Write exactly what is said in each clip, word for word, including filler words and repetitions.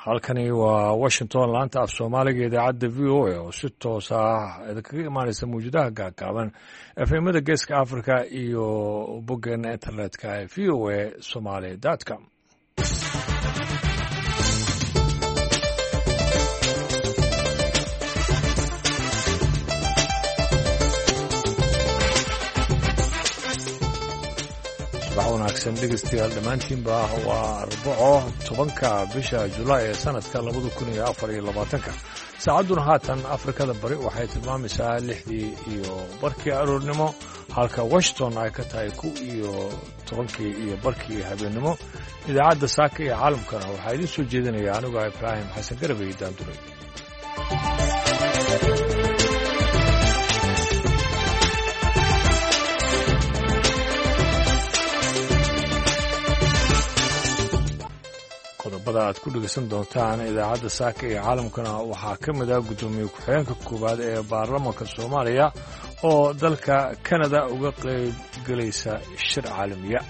Halkani waa Washington, laanta af Soomaaliga, idaacadda V O A oo si toos ah idinkaga imaanaysa mawjadaha gaagaaban, efemada Geeska Africa iyo boggeena internetka ee V O A Somaly com. Subax wanaagsan dhegeystayaal dhammaantiinba. Waa Arbaco, tobanka bisha Julaay ee sanadka labada kun iyo afar iyo labaatanka. Saacadduna haatan Afrikada Bari waxay tilmaamaysaa lixdii iyo barkii aroornimo, halka Washington ay ka tahay ku iyo tobankii iyo barkii habeennimo. Idaacadda Saaka iyo Caalamkana waxaa idiin soo jeedinaya anigoo Ibraahim Xasan Garabey Daanduray. Qodobada aad ku dhegeysan doontaan idaacadda Saaka iyo Caalamkana waxaa ka mid ah guddoomiye ku-xigeenka koowaad ee baarlamanka Soomaaliya oo dalka Kanada uga qayb gelaysa shir caalamiya.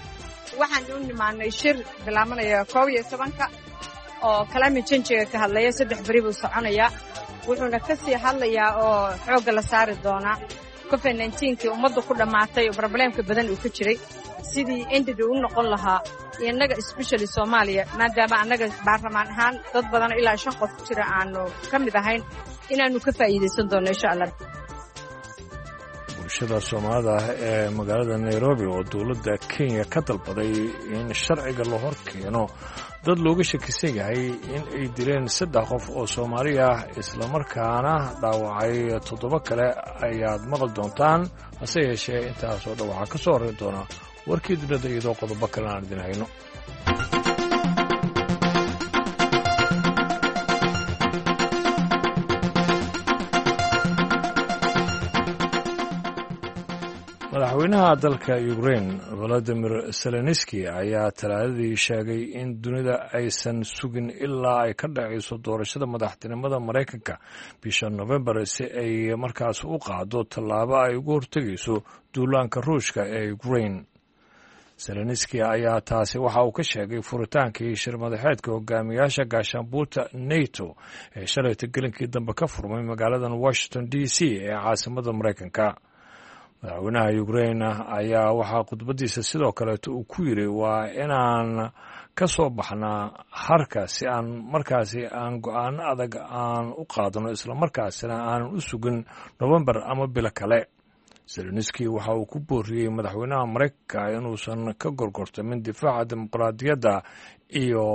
Waxaan u nimaanay shir bilaabanaya koob iyo tobanka oo climate change-ga ka hadlaya. Saddex beri buu soconayaa, wuxuuna ka sii hadlayaa oo xoogga la saari doonaa covid nineteen-kii ummaddu ku dhammaatay oo problemka badan uu ka jiray, sidii ended u noqon lahaa innaga, especially Soomaaliya, maadaama annaga baarlamaan ahaan dad badan ilaa shan qof jira aanu ka mid ahayn inaannu ka faa'iidaysan doonno, insha Allah. Bulshada Soomaalida ah ee magaalada Nairobi oo dowladda Kenya ka dalbaday in sharciga la hor keeno dad looga shakisan yahay in ay dileen saddex qof oo Soomaali ah, islamarkaana dhaawacay toddoba kale, ayaad maqli doontaan. Hase yeeshee, intaasoo dhan waxaa ka soo horreyn doona warkii dunida, iyadoo qodobo kalena aan idin hayno. Madaxweynaha dalka Ukrain Valadimir Zelenski ayaa Talaadadii sheegay in dunida aysan sugin ilaa ay ka dhacayso doorashada madaxtinimada Maraykanka bisha Novembar si ay markaas u qaado tallaabo ay uga hortegayso duulaanka Ruushka ee Ukrain. Zelenski ayaa taasi waxa uu ka sheegay furitaankii shir madaxeedka hogaamiyaasha gaashaanbuurta NATO ee shalayta gelinkii dambe ka furmay magaaladan Washington D C ee caasimada Maraykanka. Madaxweynaha Ukrain ayaa waxaa khudbadiisa sidoo kaleeto uu ku yiri, waa inaan ka soo baxnaa harka si aan markaasi aan go-aano adag aan u qaadano, islamarkaasina aanan u sugin Novembar ama bilo kale. Zelenski waxa uu ku booriyey madaxweynaha Maraykanka inuusan ka gorgortamin difaaca dimuqraadiyadda iyo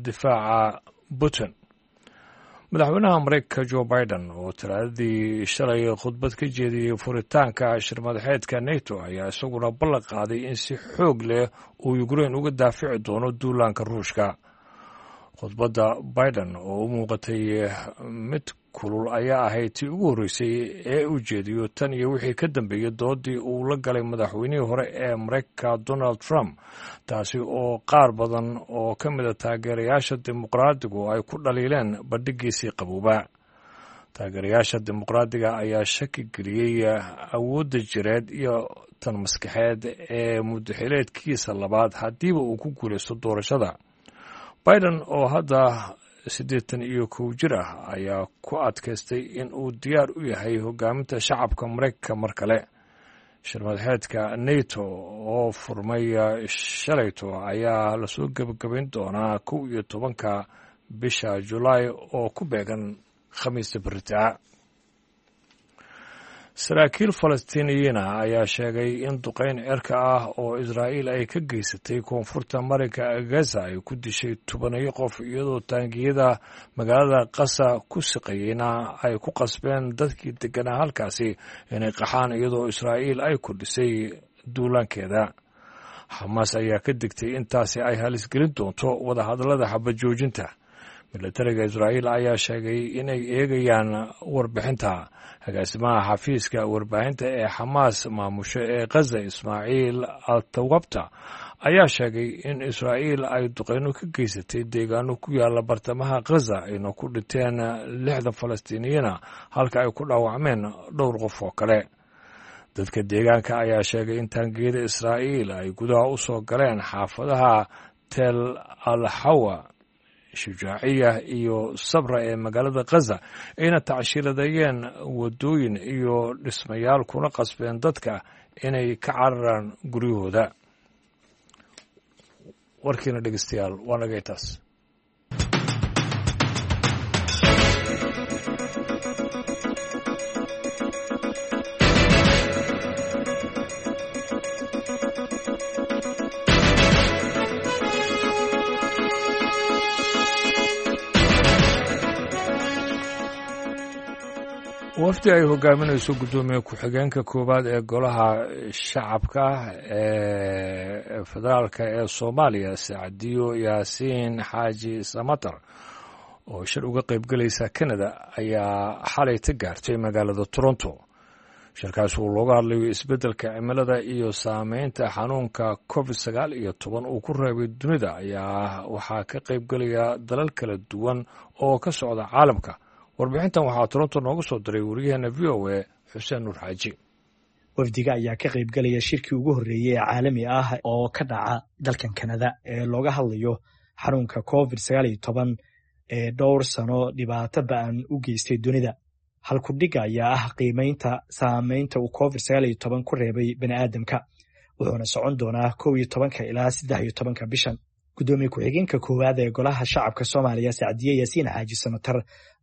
difaaca Putin. Madaxweynaha Maraykanka Joe Biden oo Talaadadii shalay khudbad ka jeediyey furitaanka shirmadaxeedka NATO ayaa isaguna ballan qaaday in si xoog leh uu Ukrain uga daafici doono duulaanka Ruushka. Khudbadda Biden oo u muuqatay mid kulul ayaa ahayd tii ugu horreysay ee uu jeediyo tan iyo wixii ka dambeeyey doodii uu la galay madaxweynihii hore ee Maraykanka Donald Trump, taasi oo qaar badan oo ka mida taageerayaasha Dimuqraadigu ay ku dhaliileen bandhigiisii qabooba. Taageerayaasha Dimuqraadiga ayaa shaki geliyey awoodda jireed iyo tan maskaxeed ee muddaxileedkiisa labaad haddiiba uu ku guulaysto doorashada. Biden oo hadda siddeetan iyo kow jir ah ayaa ku adkaystay in uu diyaar u yahay hogaaminta shacabka Maraykanka mar kale. Shirmadaxeedka NATO oo furmay shalayto ayaa lasoo gebagabayn doonaa kow iyo tobanka bisha Julaay oo ku beegan Khamiista beritaa. Saraakiil Falastiiniyiina ayaa sheegay in duqayn cirka ah oo Israa'iil ay ka geysatay koonfurta marinka Gaza ay ku dishay tobaniyo qof, iyadoo taangiyada magaalada Qasa ku siqayeyna ay ku qasbeen dadkii deganaa halkaasi inay qaxaan, iyadoo Israa'iil ay kordhisay duulaankeeda. Xamaas ayaa ka digtay intaasi ay halisgelin doonto wadahadallada xabad joojinta. Milatariga Israa'iil ayaa sheegay inay eegayaan warbixinta. Agaasimaha xafiiska warbaahinta ee Xamaas maamusho ee Khaza, Ismaaciil Altawabta, ayaa sheegay in Israa'iil ay duqeyno ka geysatay deegaano ku yaala bartamaha Khaza, ayna ku dhinteen lixdan Falastiiniyiina halka ay ku dhaawacmeen dhowr qof oo kale. Dadka deegaanka ayaa sheegay in taangiyada Israa'iil ay gudaha u soo galeen xaafadaha Tel Al Hawa Shujaaciya iyo Sabra ee magaalada Khaza, ayna tacshiiradayeen waddooyin iyo dhismayaal kuna qasbeen dadka inay ka cararaan guryahooda. Warkiina dhegeystayaal waa nagay taas. Wafdi ay hogaaminayso guddoomiye ku-xigeenka koowaad ee golaha shacabka ee federaalka ee Soomaaliya, Sacdiyo Yaasiin Xaaji Samatar, oo shir uga qaybgelaysa Canada, ayaa xalay ta gaartay magaalada Toronto. Shirkaas uu looga hadlayo isbeddelka cimilada iyo saameynta xanuunka Covid sagaal iyo toban uu ku reebay dunida ayaa waxaa ka qaybgelaya dalal kala duwan oo ka socda caalamka. Warbixintan waxaa Toronto noogu soo diray wariyaheena V O A Xuseen Nuur Xaaji. Wafdiga ayaa ka qaybgelaya shirkii ugu horreeyey ee caalami ah oo ka dhaca dalkan Kanada ee looga hadlayo xanuunka covid sagaal iyo toban ee dhowr sano dhibaato ba'an u geystay dunida. Halkudhigga ayaa ah qiimeynta saameynta uu covid sagaal iyo toban ku reebay bani'aadamka, wuxuuna socon doonaa kow iyo tobanka ilaa saddex iyo tobanka bishan. Gudoomiye ku-xigeenka koowaad ee golaha shacabka Soomaaliya, Sacdiye Yaasiin Xaaji Samatar,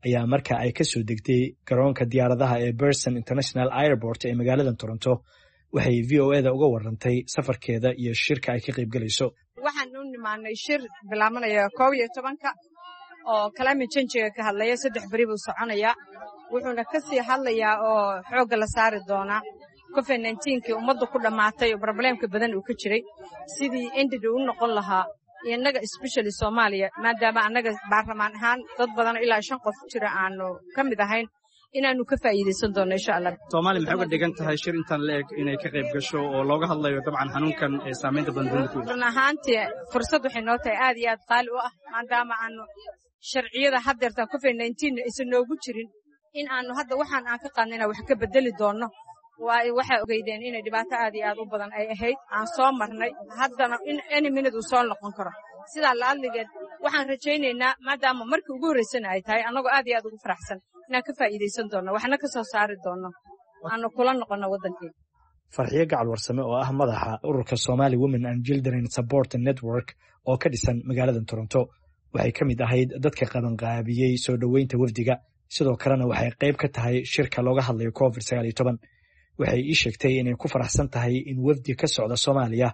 ayaa marka ay ka soo degtay garoonka diyaaradaha ee Berson International Airport ee magaalada Toronto waxay V O eda uga warantay safarkeeda iyo shirka ay ka qaybgelayso. Waxaan u nimaanay shir bilaabanaya koob iyo tobanka oo climate change-ga ka hadlaya, saddex beri buu soconayaa, wuxuuna ka sii hadlayaa oo xoogga la saari doonaa covid nineteen-kii ummadda ku dhammaatay oo problemka badan uu ka jiray, sidii ended u noqon lahaa innaga especially Soomaaliya, maadaama annaga baarlamaan ahaan dad badan ilaa shan qof jira aanu ka mid ahayn, inaanu ka faa'iidaysan doono insha Allah. Soomaaliya maxay uga dhigan tahay shir intaan la eg inay ka qayb gasho oo looga hadlayo dabcan xanuunkan ee saameynta badan dunida ku yeeshay? Run ahaantii fursad waxay noo tahay aad iyo aad qaali u ah, maadaama aanu sharciyada haddeerta covid nineteen aysan noogu jirin, in aanu hadda waxaan aan ka qaadnayna wax ka bedeli doono. Waxay ogeydeen inay dhibaato aad iyo aad u badan ay ahayd aan soo marnay, haddana in any minute uu soo noqon karo. Sidaa la'adligeed waxaan rajaynaynaa, maadaama markii ugu horreysana ay tahay, annagoo aad iyo aad ugu faraxsan inaan ka faa'iidaysan doonno, waxna ka soo saari doonno, aanu kula noqonno waddankeena. Farxiyo Gacal Warsame oo ah madaxa ururka Somali Women and Children Support Network oo ka dhisan magaalada Toronto waxay ka mid ahayd dadka qabanqaabiyey soo dhoweynta wafdiga, sidoo kalena waxay qayb ka tahay shirka looga hadlayo covid sagaal iyo toban. Waxay ii sheegtay inay ku faraxsan tahay in wafdi ka socda Soomaaliya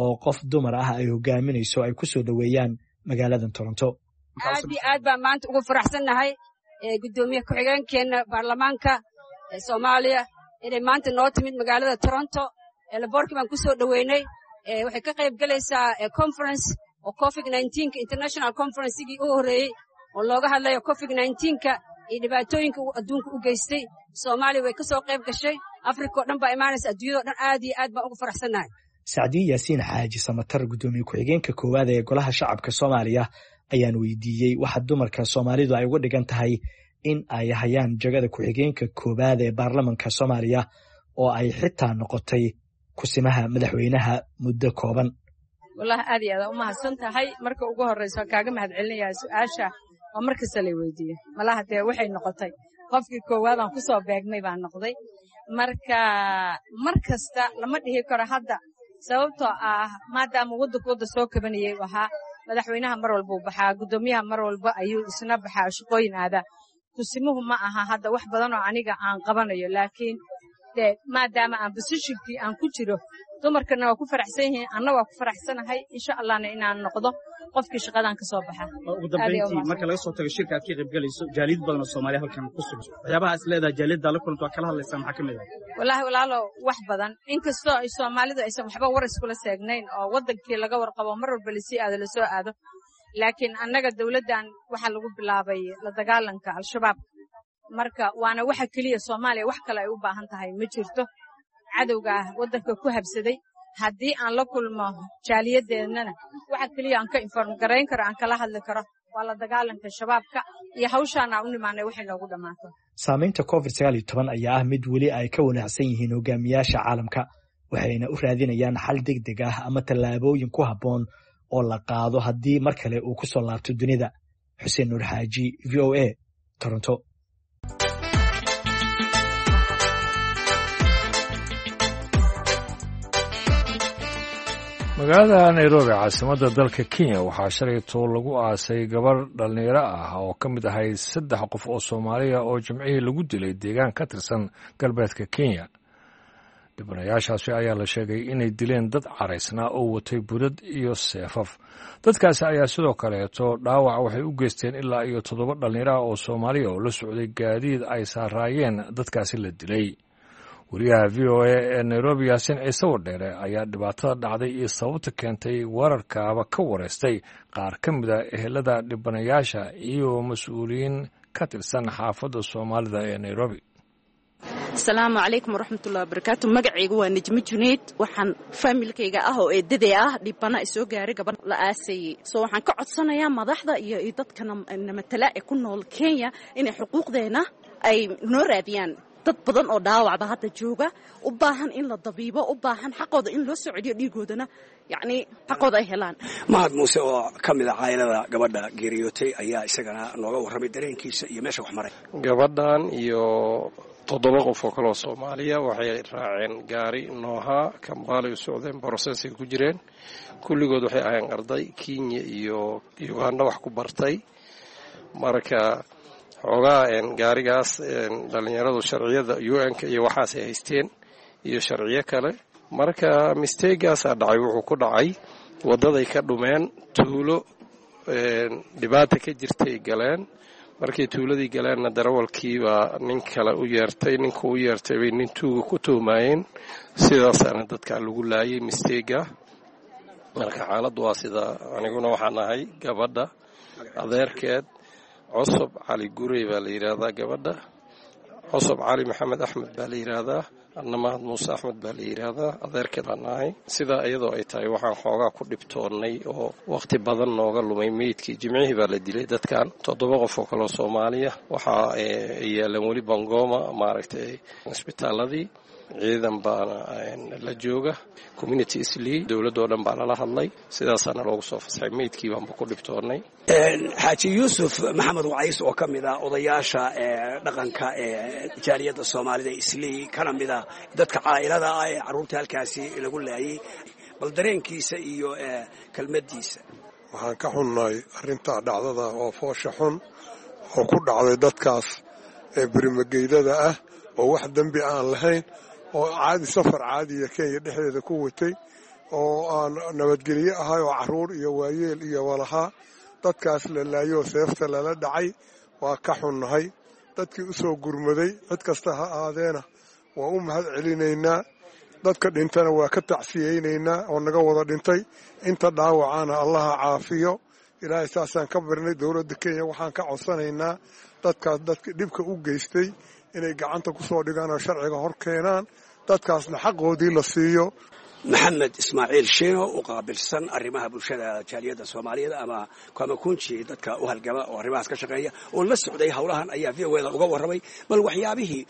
oo qof dumar ah ay hogaaminayso ay ku soo dhoweeyaan magaalada Toronto. Aad iyo aad baan maanta ugu faraxsannahay gudoomiye ku-xigeenkeena baarlamaanka Soomaaliya inay maanta noo timid magaalada Toronto. Laboorkii baan ku soo dhoweynay. Waxay ka qayb galaysaa conference oo covid nineteen-ka international conference-gii u horreeyey oo looga hadlayo covid nineteen-ka iyo dhibaatooyinka uu adduunka u geystay. Soomaaliya way ka soo qayb gashay, Afrika oo dhan baa imaanaysa, adduunyada oo dhan aad iyo aad baan ugu faraxsannahay. Sacdiye Yaasiin Xaaji Samatar, gudoomiye ku-xigeenka koowaad ee golaha shacabka Soomaaliya, ayaan weydiiyey waxa dumarka Soomaalidu ay uga dhigan tahay in ay hayaan jagada ku-xigeenka koowaad ee baarlamanka Soomaaliya oo ay xitaa noqotay kusimaha madaxweynaha muddo kooban. Wallahi aad iyo aad u mahadsan tahay. Marka ugu horreysa waan kaaga mahad celinayaa su-aasha oo mar kasta lay weydiiyo. Malaha dee waxay noqotay qofkii koowaad aan kusoo beegmay baan noqday. Marka mar kasta lama dhihi karo hadda, sababtoo ah maadaama waddanku wadda soo kabanayay u ahaa, madaxweynaha mar walba uu baxaa, guddoomiyaha mar walba ayuu isna baxaa, shaqooyin aadaa. Kusimuhu ma aha hadda wax badan oo aniga aan qabanayo, laakiin dee maadaama aan positionkii aan ku jiro, dumarkana waa ku faraxsan yihiin, anna waa ku faraxsanahay, insha Allahna inaan noqdo qofkii shaqadan ka soo baxa. Ugu dambeyntii, marka laga soo tago shirka aad ka qayb galayso, jaaliyad badan oo Soomaaliya halkan ku sugan, waxyaabaha is leedahay jaaliyadda la kulanto waa kala hadlaysaa maxaa ka mid ah? Wallaahi walaalo, wax badan, inkastoo ay Soomaalidu aysan waxba war iskula seegnayn oo waddankii laga warqabo mar walba lasii aado lasoo aado, laakiin annaga dowladdan waxaa lagu bilaabay la dagaalanka Al-Shabaab. Marka waana waxa keliya Soomaaliya wax kale ay u baahan tahay ma jirto, cadowga waddanka ku habsaday. Haddii aan la kulmo jaaliyadeennana, waxa keliya aan ka inform garayn karo, aan kala hadli karo, waa la dagaalanka shabaabka iyo hawshaan aan u nimaanay waxay noogu dhammaato. Saamaynta covid sagaal iyo toban ayaa ah mid weli ay ka wanaacsan yihiin hogaamiyaasha caalamka, waxayna u raadinayaan xal degdeg ah ama tallaabooyin ku habboon oo la qaado haddii mar kale uu ku soo laabto dunida. Xuseen Nuur Xaaji, V O A, Toronto. Magaalada Nairobi, caasimadda dalka Kenya, waxaa shalayto lagu aasay gabar dhallinyaro ah oo ka mid ahayd saddex qof oo Soomaaliya oo jimcihii lagu dilay deegaan ka tirsan galbeedka Kenya. Dhibanayaashaasi ayaa la sheegay inay dileen dad caraysnaa oo watay budad iyo seefaf. Dadkaasi ayaa sidoo kaleeto dhaawac waxay u geysteen ilaa iyo toddoba dhallinyaro ah oo Soomaaliya oo la socday gaadiid ay saaraayeen dadkaasi la dilay. Wariyaha V O A ee Nairobi, Yaasiin Ciise Wadheere, ayaa dhibaatada dhacday iyo sababta keentay weerarkaaba ka wareystay qaar ka mid a ehelada dhibanayaasha iyo mas-uuliyiin ka tirsan xaafadda Soomaalida ee Nairobi. Asalaamu calaykum waraxmatullahi wabarakaatu. Magacaygu waa Nejmo Junayd. Waxaan faamilkayga ah oo eedaday ah dhibana isoo gaaray gabadh la aasayey. Soo waxaan ka codsanayaa madaxda iyo dadka namatala ee ku nool Kenya inay xuquuqdeena ay noo raadiyaan. Dad badan oo dhaawacba hadda jooga, u baahan in la dabiibo, u baahan xaqooda in loo soo celiyo, dhiigoodana yacnii xaqooda ay helaan. Mahad Muuse oo ka mid a caa'ilada gabadha geeriyootay ayaa isagana nooga warramay dareenkiisa iyo meesha wax maray. Gabadhan iyo toddoba qof oo kaleoo Soomaaliya waxay raaceen gaari noohaa Kambaalay u socdeen, borosesay ku jireen. Kulligood waxay ahayeen arday Kenya iyo Uganda wax ku bartay. Marka xoogaa gaarigaas dhallinyaradu sharciyada U N-ka iyo waxaasay haysteen iyo sharciyo kale. Marka mistegaasaa dhacay, wuxuu ku dhacay waddaday ka dhumeen, tuulo dhibaata ka jirtay galeen. Markay tuuladii galeenna darawalkiibaa nin kale u yeertay, ninku u yeertay bay nin tuuga ku tuhmaayeen. Sidaasaana dadkaa lagu laayay mistega. Marka xaaladdu waa sidaa. Aniguna waxaan ahay gabadha adeerkeed. Cusub Cali Gurey baa la yidhaahdaa gabadha, Cusub Cali Maxamed Axmed baa la yidhaahdaa, anna Mahad Muuse Axmed baa la yidhaahdaa, adeerkeed baan ahay. Sidaa iyadoo ay tahay waxaan xoogaa ku dhibtoonnay oo wakhti badan nooga lumay meydkii. Jimcihii baa la dilay dadkan, toddoba qof oo kaleo Soomaaliya. Waxaa yaalan weli Bangoma, maaragtay, isbitaaladii. Ciidan baana la jooga, community Islii, dowladdoo dhan baa lala hadlay, sidaasaana loogu soo fasaxay. Meydkii baanba ku dhibtoonnay. Xaaji Yuusuf Maxamed Wacays oo ka mid ah odayaasha dhaqanka ee jaaliyadda Soomaalida Islii, kana mid ah dadka caa'ilada ah ee carruurta halkaasi lagu laayay, bal dareenkiisa iyo kelmaddiisa. Waxaan ka xunnahay arrintaa dhacdada oo foosha xun oo ku dhacday dadkaas ee berimageydada ah oo wax dembi aan lahayn, oo caadi safar caadiya Kenya dhexdeeda ku watay, oo aan nabadgelyo ahay, oo carruur iyo waayeel iyo walahaa. Dadkaas la laayoo seefta lala dhacay waa ka xunnahay. Dadkii u soo gurmaday cid kasta ha aadeena waa u mahad celinaynaa. Dadka dhintana waa ka tacsiyeynaynaa oo naga wada dhintay. Inta dhaawacana Allaha caafiyo. Ilaahay saasaan ka barnay. Dowladda Kenya waxaan ka codsanaynaa dadkaas dadka dhibka u geystay inay gacanta ku soo dhigaan oo sharciga hor keenaan, dadkaasna xaqoodii la siiyo. Maxamed Ismaaciil Shiino u qaabilsan arrimaha bulshada jaaliyadda Soomaaliyeed ama Kamakunji, dadka u halgama oo arrimahaas ka shaqeeya oo la socday howlahan, ayaa V O A da uga warramay bal waxyaabihii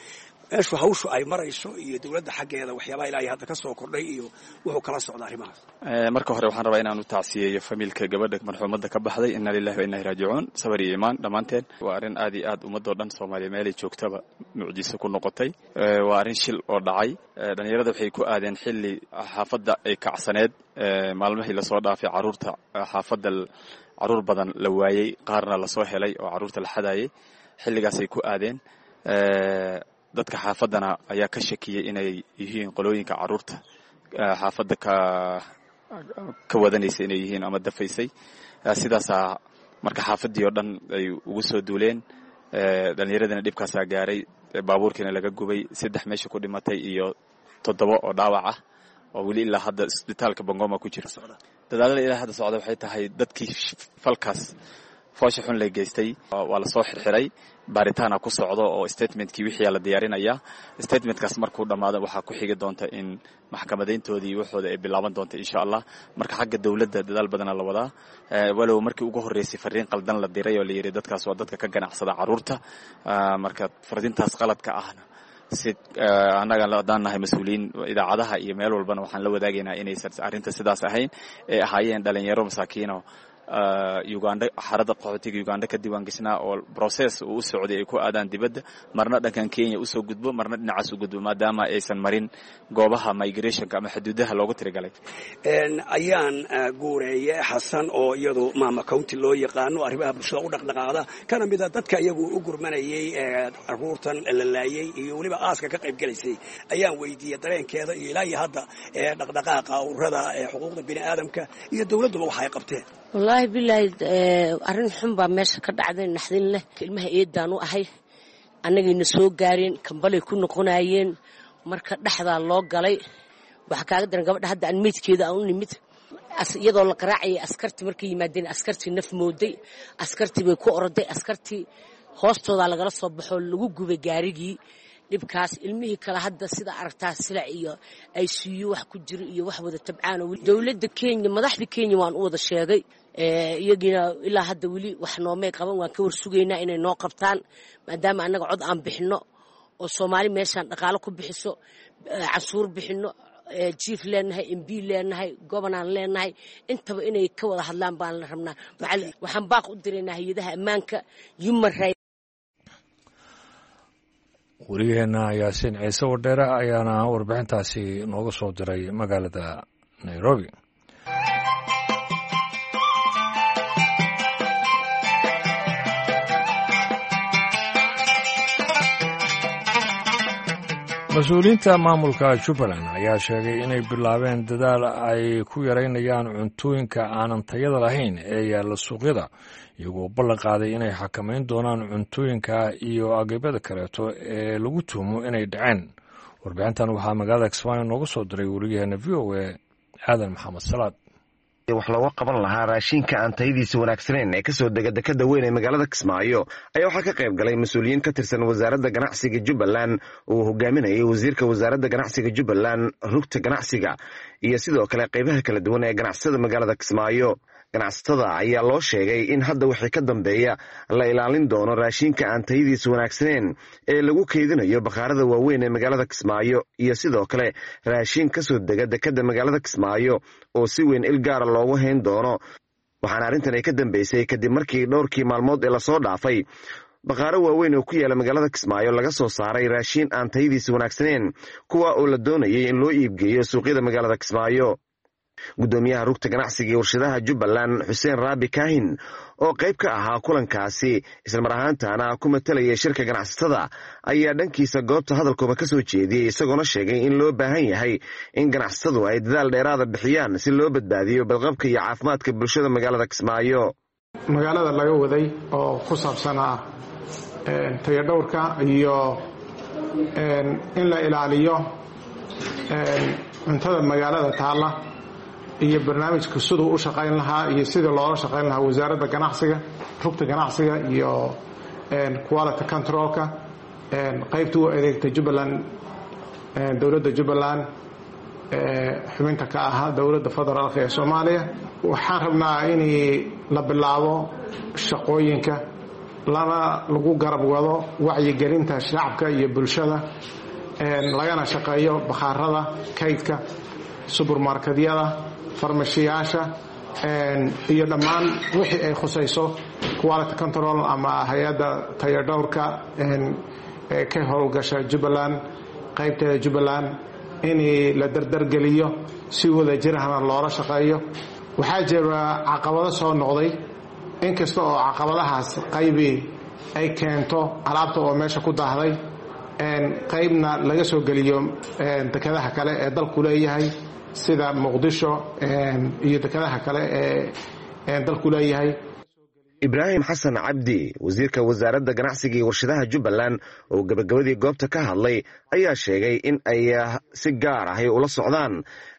meeshu hawshu ay marayso iyo dowladda xaggeeda waxyaabaha ilaahay hadda ka soo kordhay iyo wuxuu kala socda arrimahaas. Marka hore waxaan rabaa inaan u tacsiyeeyo famiilka gabadha marxuumadda ka baxday. Inna lillahi wa inna ilaihi raajicuun. Sabar iyo iimaan dhammaanteen. Waa arrin aad iyo aad ummadoo dhan Soomaaliya meelay joogtaba mucjiso ku noqotay. Waa arrin shil oo dhacay. Dhallinyarada waxay ku aadeen xilli xaafadda ay kacsaneed. Maalmihii lasoo dhaafay carruurta xaafadda carruur badan la waayey, qaarna lasoo helay oo carruurta la xadayay, xilligaasay ku aadeen. Dadka xaafaddana ayaa ka shakiyey inay yihiin qolooyinka carruurta xaafadda ka ka wadanaysa inay yihiin ama dafaysay. Sidaasaa marka xaafaddii oo dhan ay ugu soo duuleen. Dhallinyaradina dhibkaasaa gaaray, baabuurkiina laga gubay, saddex meesha ku dhimatay iyo toddoba oo dhaawac ah oo weli ilaa hadda isbitaalka Bangoma ku jira. Dadaalada ilaa hadda socda waxay tahay dadkii falkaas foosha xun la geystay waa lasoo xirxiray, baaritaana ku socdo oo statementkii wixii la diyaarinayaa. Statementkaas markuu dhammaado waxaa ku xigi doonta in maxkamadayntoodii waxooda ay bilaaban doonta insha Allah. Marka xagga dowladda dadaal badana la wadaa, walow markii ugu horreysay fariin qaldan la diray oo la yidhi dadkaas waa dadka ka ganacsada carruurta. Marka fariintaas qaladka ahna si annaga haddaan nahay mas-uuliyiin idaacadaha iyo meel walbana waxaan la wadaagaynaa inaysan arrinta sidaas ahayn, ee ahaayeen dhalinyaro masaakiino Uganda, xarada qaxootiga Uganda ka diiwaan gashnaa oo process uu u socday ay ku aadaan dibadda, marna dhankan Kenya usoo gudbo, marna dhinacaas u gudbo, maadaama aysan marin goobaha migrationka ama xuduudaha loogu tirigalay. Ayaan Guureeye Xasan oo iyadu Maama County loo yaqaano, arrimaha bulshada u dhaqdhaqaaqda, kana mida dadka iyagu u gurmanayay caruurtan la laayay iyo weliba aaska ka qayb galaysay, ayaan weydiiyey dareenkeeda iyo ilaa iyo hadda dhaqdhaqaaqa ururada xuquuqda bini aadamka iyo dowladduba waxa ay qabteen. Wallaahi bilaahi, arrin xun baa meesha ka dhacday, naxdin leh. Ilmaha eedaan u ahay, annagayna soo gaareen, kambalay ku noqonayeen, marka dhexdaa loo galay. Waxaa kaaga daran gabadha hadda aan meydkeeda aan u nimid, iyadoo la qaraacayay askartii. Markay yimaadeen askartii naf mooday, askartii bay ku oroday, askartii hoostoodaa lagala soo baxoo lagu gubay gaarigii. Dhibkaas ilmihii kale hadda sida aragtaa silac iyo I C U wax ku jiro iyo wax wada tabcaan. Dowladda Kenya, madaxda Kenya waan u wada sheegay, iyagiina ilaa hadda weli wax noomay qaban. Waan ka warsugaynaa inay noo qabtaan, maadaama annaga cod aan bixinno oo Soomaali meeshaan dhaqaalo ku bixiso, cansuur bixinno, chief leenahay, M P leenahay, governor leenahay, intaba inay ka wada hadlaan baan la rabnaa. Waxaan baaq u diraynaa hay-adaha ammaanka, human right. Wariyaheena Yaasiin Ciise Wardheere ayaana warbixintaasi nooga soo diray magaalada Nairobi. Mas-uuliyiinta maamulka Jubbaland ayaa sheegay inay bilaabeen dadaal ay ku yareynayaan cuntooyinka aanan tayada lahayn ee yaalla suuqyada, iyagoo ballan qaaday inay xakamayn doonaan cuntooyinka iyo agabyada kaleeto ee lagu tuhumo inay dhaceen. Warbixintan waxaa magaalada Kismaayo nooga soo diray wariyaheena V O A Aadan Maxamed Salaad. Wax looga qaban lahaa raashinka aan tayadiisa wanaagsanayn ee kasoo dega dekada weyn ee magaalada Kismaayo ayaa waxaa ka qayb galay mas-uuliyiin ka tirsan Wasaaradda Ganacsiga Jubbaland uu hogaaminayay wasiirka Wasaaradda Ganacsiga Jubbaland, rugta ganacsiga iyo sidoo kale qaybaha kala duwan ee ganacsatada magaalada Kismaayo. Ganacsatada ayaa loo sheegay in hadda wixii ka dambeeya la ilaalin doono raashinka aan tayadiisa wanaagsanayn ee lagu keydinayo bakhaarada waaweyn ee magaalada Kismaayo iyo sidoo kale raashin kasoo dega dekada magaalada Kismaayo oo si weyn il gaara loogu hayn doono. Waxaana arrintan ay ka dambeysay kadib markii dhowrkii maalmood ee lasoo dhaafay bakhaaro waaweyn oo ku yaala magaalada Kismaayo laga soo saaray raashin aan tayadiisa wanaagsanayn, kuwa oo la doonayay in loo iibgeeyo suuqyada magaalada Kismaayo. Gudoomiyaha rugta ganacsiga iyo warshadaha Jubbaland, Xuseen Raabi Kaahin, oo qayb ka ahaa kulankaasi islamar ahaantaana ku matalayay shirka ganacsatada, ayaa dhankiisa goobta hadalkooba ka soo jeediyey, isagoona sheegay in loo baahan yahay in ganacsatadu ay dadaal dheeraada bixiyaan si loo badbaadiyo badqabka iyo caafimaadka bulshada magaalada Kismaayo. Magaalada laga waday oo ku saabsanaa tayadhowrka iyo in la ilaaliyo cuntada magaalada taalla iyo barnaamijka siduu u shaqayn lahaa iyo sidii loola shaqayn lahaa Wasaaradda Ganacsiga, rugta ganacsiga iyo quality controlka qaybta u adeegta Jubbaland, dowladda Jubbaland xubinta ka ahaa dowladda federaalka ee Soomaaliya. Waxaan rabnaa in la bilaabo shaqooyinka lana lagu garab wado wacyigelinta shacabka iyo bulshada, lagana shaqeeyo bakhaarada, kaydka, subermarketyada, farmashiyaasha iyo dhammaan wixii ay khusayso quality control ama hay-adda tayadhowrka ee ka howlgasha Jubbaland, qaybteeda Jubbaland, in la dardargeliyo si wada jirahna loola shaqeeyo. Waxaa jira caqabado soo noqday, inkasta oo caqabadahaas qaybi ay keento alaabta oo meesha ku daahday, qaybna laga soo geliyo dekadaha kale ee dalku leeyahay sida Muqdisho iyo dekadaha kale ee dalku leeyahay. Ibraahim Xasan Cabdi, wasiirka Wasaaradda Ganacsiga iyo Warshadaha Jubbaland, oo gebagabadii goobta ka hadlay, ayaa sheegay in ay si gaar ahy ula socdaan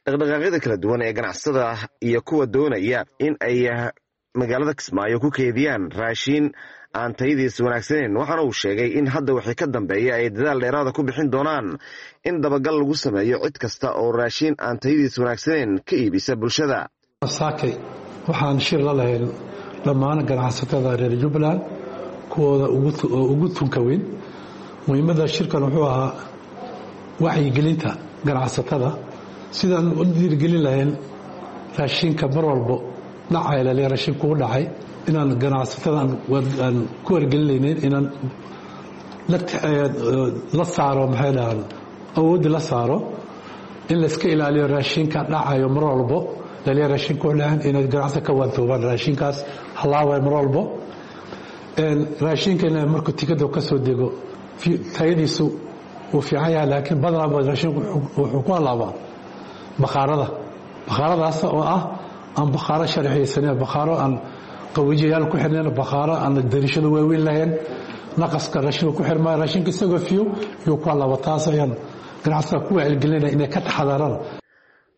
dhaqdhaqaaqyada kala duwan ee ganacsatada iyo kuwa doonaya in ay magaalada Kismaayo ku keediyaan raashiin aan tayadiisa wanaagsanayn. Waxaana uu sheegay in hadda wixii ka dambeeya ay dadaal dheeraada ku bixin doonaan in dabagal lagu sameeyo cid kasta oo raashiin aan tayadiisa wanaagsanayn ka iibisa bulshada. Saakay waxaan shir la lahayn dhammaan ganacsatada reer Jubbaland kuwooda ugu tunka weyn. Muhiimadda shirkan wuxuu ahaa wacyigelinta ganacsatada sidaan u dhiirigelin lahayn raashinka mar walbo dhacay laliya raashin kugu dhacay, inaan ganacsatada aan ku wargelinaynin inaan la saaro, maxay dhahaan, awoodda la saaro in layska ilaaliyo raashinka dhacayo mar walbo. Laliya raashinka u dhacan inay ganacsatada ka waantoobaan raashinkaas halaaway mar walbo. Raashinka in markuu tikada ka soo dego tayadiisu wuu fiican yahay, laakiin badanaa raashinku wuxuu ku halaabaa bakhaarada, bakhaaradaas oo ah aan bakhaaro sharxiyeysanen, bakhaaro aan qawiijiyaal ku xirnayn, bakhaaro aan dariishado waaweyn lahayn, naqaska raashinku ku xirmaayo, raashinka isagoo fiyo yuu ku halaaba. Taas ayaan ganacsatada ku wacyigelinaya inay ka taxadaraan.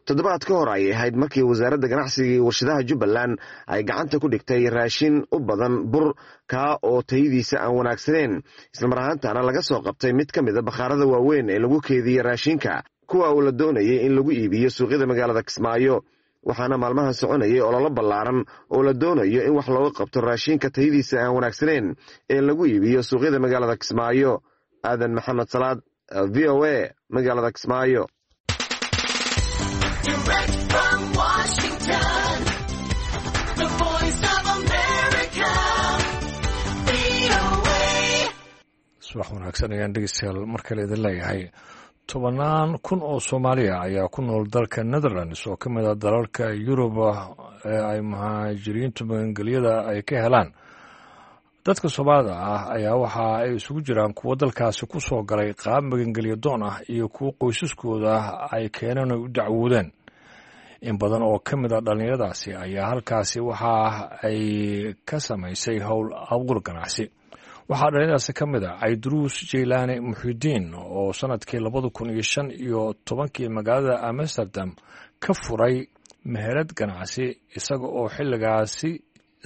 Toddobaad ka hor ayay ahayd markii wasaaradda ganacsiga iyo warshadaha Jubbaland ay gacanta ku dhigtay raashin u badan bur, kaa oo tayadiisa aan wanaagsaneyn, islamar ahaantaana laga soo qabtay mid ka mida bakhaarada waaweyn ee lagu keediyey raashinka, kuwa uu la doonayay in lagu iibiyo suuqyada magaalada Kismaayo. Waxaana maalmahan soconayay ololo ballaaran oo la doonayo in wax looga qabto raashinka tayadiisa aan wanaagsaneyn ee lagu iibiyo suuqyada magaalada Kismaayo. Aadan Maxamed Salaad, V O A, magaalada Kismaayo. Direct from Washington, the Voice of America, V O A. Subax wanaagsan ayaan dhegeystayaal mar kale idin leeyahay. Tobannaan kun oo Soomaaliya ayaa ku nool dalka Netherlands oo ka mid ah dalalka Yuruba ee ay muhaajiriintu magangelyada ay ka helaan. Dadka Soomaalida ah ayaa waxa ay isugu jiraan kuwo dalkaasi ku soo galay qaab magangelyo doon ah iyo kuwo qoysaskooda ay keeneen oy u dacwoodeen. In badan oo ka mid ah dhallinyaradaasi ayaa halkaasi waxa ay ka samaysay howl abuur ganacsi. Waxaa dhallinyaradaasi ka mid ah Cayduruus Jeylaane Muxidiin oo sanadkii labada kun iyo shan iyo tobankii magaalada Amsterdam ka furay meherad ganacsi, isaga oo xilligaasi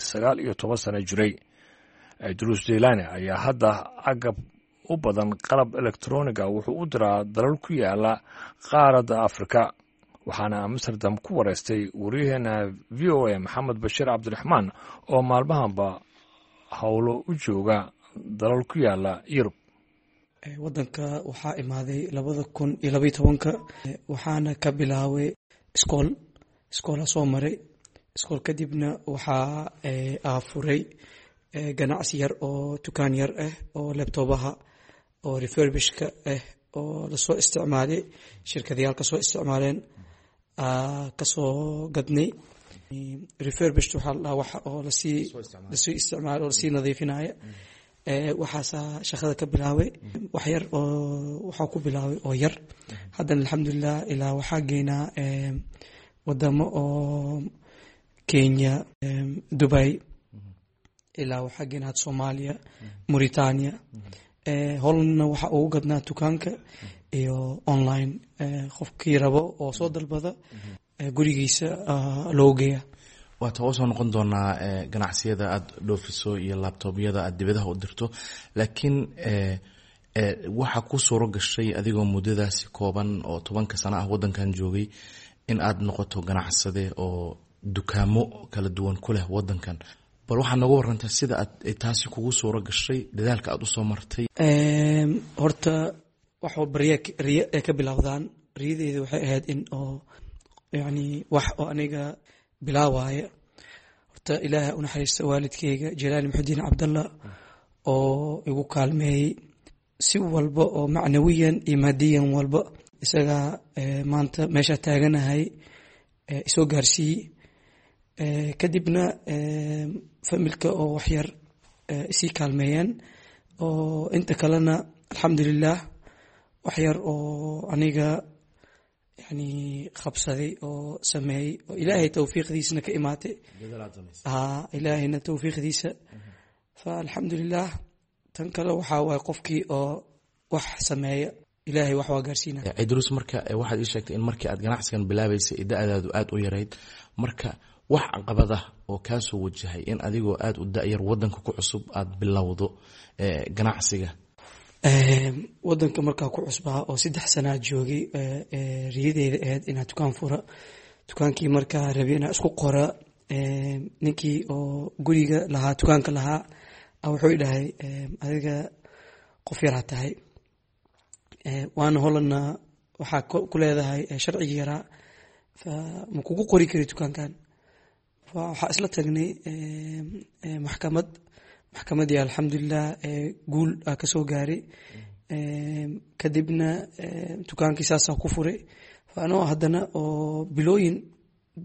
sagaal iyo toban sano jiray. Cayduruus Jeylaane ayaa hadda agab u badan qalab elektroniga wuxuu u diraa dalal ku yaala qaaradda Afrika. Waxaana Amsterdam ku wareystay waryaheena V O A Maxamed Bashiir Cabdiraxmaan oo maalmahanba howlo u jooga dalal ku yaala Yurub. Wadanka waxaa imaaday labada kun iyo labaiyo tobanka, waxaana ka bilaabay iskool, iskoola soo maray iskool, kadibna waxaa aafuray ganacsi yar oo dukaan yar ah oo laptopaha oo refurbishka ah oo lasoo isticmaalay, shirkadayaal kasoo isticmaaleen kasoo gadnay. Refurbished waxaa la dhahaa waxa oo lasii lasii isticmaalo oo lasii nadiifinaya. Waxaasaa shaqada ka bilaabay, wax yar oo waxaa ku bilaabay oo yar. Haddana alxamdulilah ilaa waxaa geynaa wadamo oo Kenya, Dubai, ilaa waxaa geynaa had Soomaaliya, Mauritania. Hollandna waxaa ugu gadnaa dukaanka iyo online, qofkii rabo oo soo dalbada gurigiisa loo geeya. Waata oo soo noqon doonaa ganacsiyada aada dhoofiso iyo laptopyada aada dibadaha u dirto, laakiin waxaa ku suuro gashay adigoo muddadaasi kooban oo tobanka sano ah wadankan joogay in aad noqoto ganacsade oo dukaamo kala duwan ku leh wadankan. Bal waxaad nooga warantaa sida aad taasi kugu suuro gashay, dadaalka aada usoo martay. Horta wax walba riya riya ay ka bilowdaan. Riyadeyda waxay ahayd in oo yacni wax oo aniga bilaawaya. Horta Ilaaha u naxariista waalidkeyga Jalaali Muxudiin Cabdalla oo igu kaalmeeyey si walba oo macnawiyan iyo maadiyan walba, isagaa maanta meesha taaganahay isoo gaarsiiyey. Kadibna familka oo waxyar isii kaalmeeyeen oo inta kalena alxamdulilah waxyar oo aniga yani qabsaday oo sameeyey oo Ilaahay towfiiqdiisna ka imaatay, Ilaahayna towfiiqdiisa. Fa alxamdulilah tan kale waxaa waaye qofkii oo wax sameeya Ilaahay wax waa gaarsiinaya. Cidruus, marka waxaad ii sheegtay in markii aad ganacsigan bilaabaysay da-daadu aada u yarayd. Marka wax caqabada oo kaasoo wajahay in adigoo aada u da-yar wadanka ku cusub aada bilowdo ganacsiga? Wadanka markaa ku cusbaa oo saddex sanaa joogay, riyadeyda ahayd inaa dukaan fura. Dukaankii markaa rabi inaa isku qora, ninkii oo guriga lahaa, dukaanka lahaa, wuxuu dhahay adiga qof yaraa tahay, waana Hollandna waxaa ku leedahay sharcigi yaraa, ma kugu qori kari dukaankan. Waxaa isla tagnay maxkamad. Maxkamadii alxamdulilah guul aa kasoo gaaray. Kadibna dukaankii saasaa ku furay. Anoo haddana oo bilooyin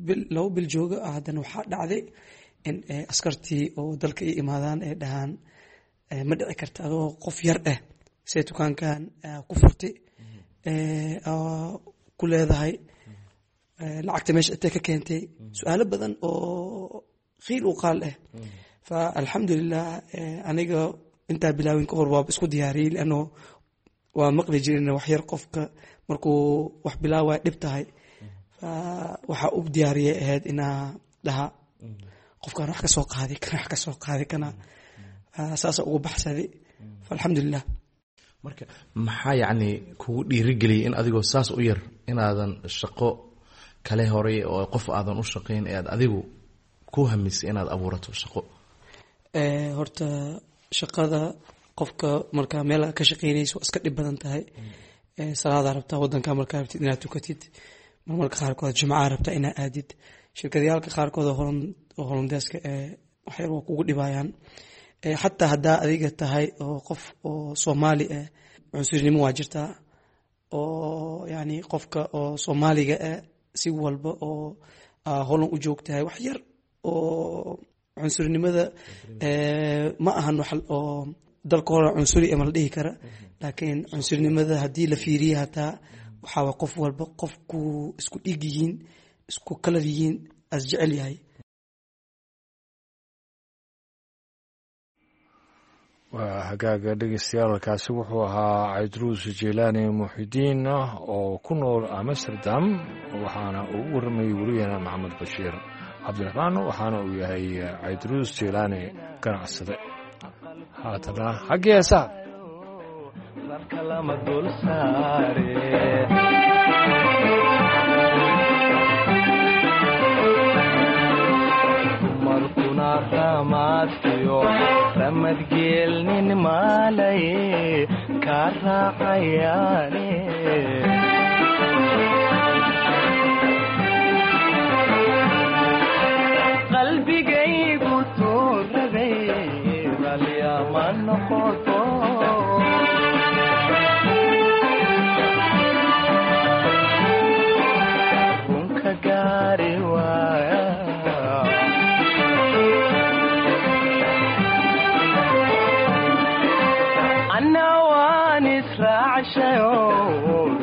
bil labo bil jooga ah, haddana waxaa dhacday in askartii oo dalka i imaadaan ay dhahaan, ma dhici karta adoo qof yar ah see dukaankan ku furtay, ku leedahay lacagta meesha intee ka keentay, su-aalo badan oo qiil u qaal ah. Fa alxamdulilah, aniga intaa bilaawin ka hor waaba isku diyaariyey, lianno waa maqli jirin wax yar qofka markuu wax bilaawaya dhib tahay. Fa waxaa u diyaariyay ahayd inaa dhaha qofkaan wax ka soo qaaday kana, wax ka soo qaaday kana, saasa ugu baxsaday. Fa alxamdulilah. Marka maxaa yacni kugu dhiirigeliyay in adigoo saas u yar inaadan shaqo kale horay oo qof aadan u shaqayn ee aad adigu ku hamisay inaad abuurato shaqo? Horta shaqada qofka markaa meel ka shaqeynayso waa iska dhib badan tahay. Salaadaa rabtaa wadanka markaa rabtid inaad tukatid, marmarka qaarkood jimcaa rabtaa inaad aadid. Shirkadayaalka qaarkood oo Hollandeeska ee waxyar waa kugu dhibayaan, xataa haddaa adiga tahay oo qof oo Soomaali ah, cunsurinimo waa jirtaa, oo yani qofka oo Soomaaliga ah si walba oo Holland u joogtahay wax yar oo cunsurinimada ma ahan wax oo dalka hore cunsuri ama la dhihi kara, laakiin cunsurinimada haddii la fiiriye hataa waxaa waa qof walba qofku isku dhiig yihiin, isku kalar yihiin, as jecel yahay. Waa hagaaga dhegeystayaal, kaasi wuxuu ahaa Caydruus Jelaani Muxidiin oo ku nool Amsterdam, waxaana uu u warramayey weriyaheena Maxamed Bashiir Cabdiraxmaan, waxaana uu yahay Caydruus Jelaani ganacsade. Haatana xaggii heesaha. Dumarkuna ramaadkiyo ramadgeelnin maalaye kaa raacayaane. Qalbigaygu tuurabay ralyama noqoto. Runka gaari waaya. Anna waan israacshayo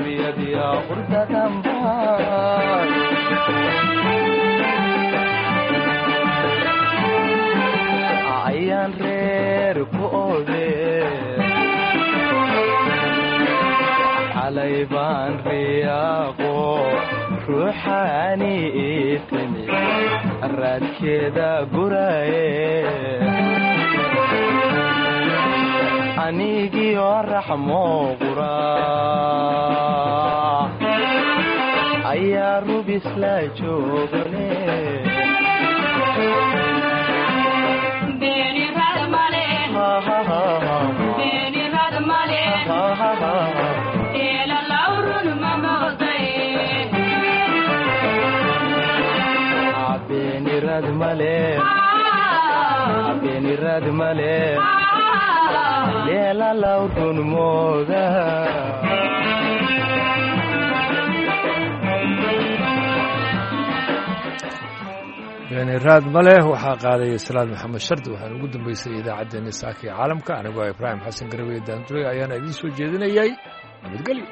riyadiya qurdadanbaan ayaan reer ku oode, xalay baan riyaaqo ruuxaani ii timi raadkeeda guraye, anigiyo raxmo qura ayaa rubis la joogne. Beenirad male, beenirad male, leela lawrun mooda. Beeniraad maleh waxaa qaadaya Salaad Maxamed Shardi. Waxaana ugu dambeysay idaacaddeenni saaka ee caalamka. Anigoo Ibraahim Xasan Garaweye Daanduray ayaana idiin soo jeedinayay. Nabadgelyo.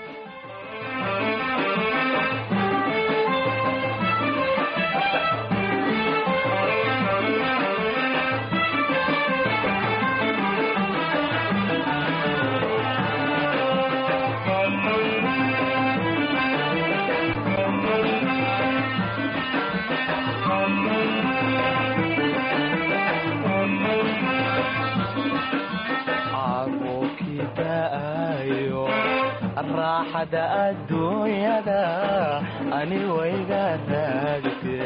Da'ayo raaxada adduunyada ani wayga raagte.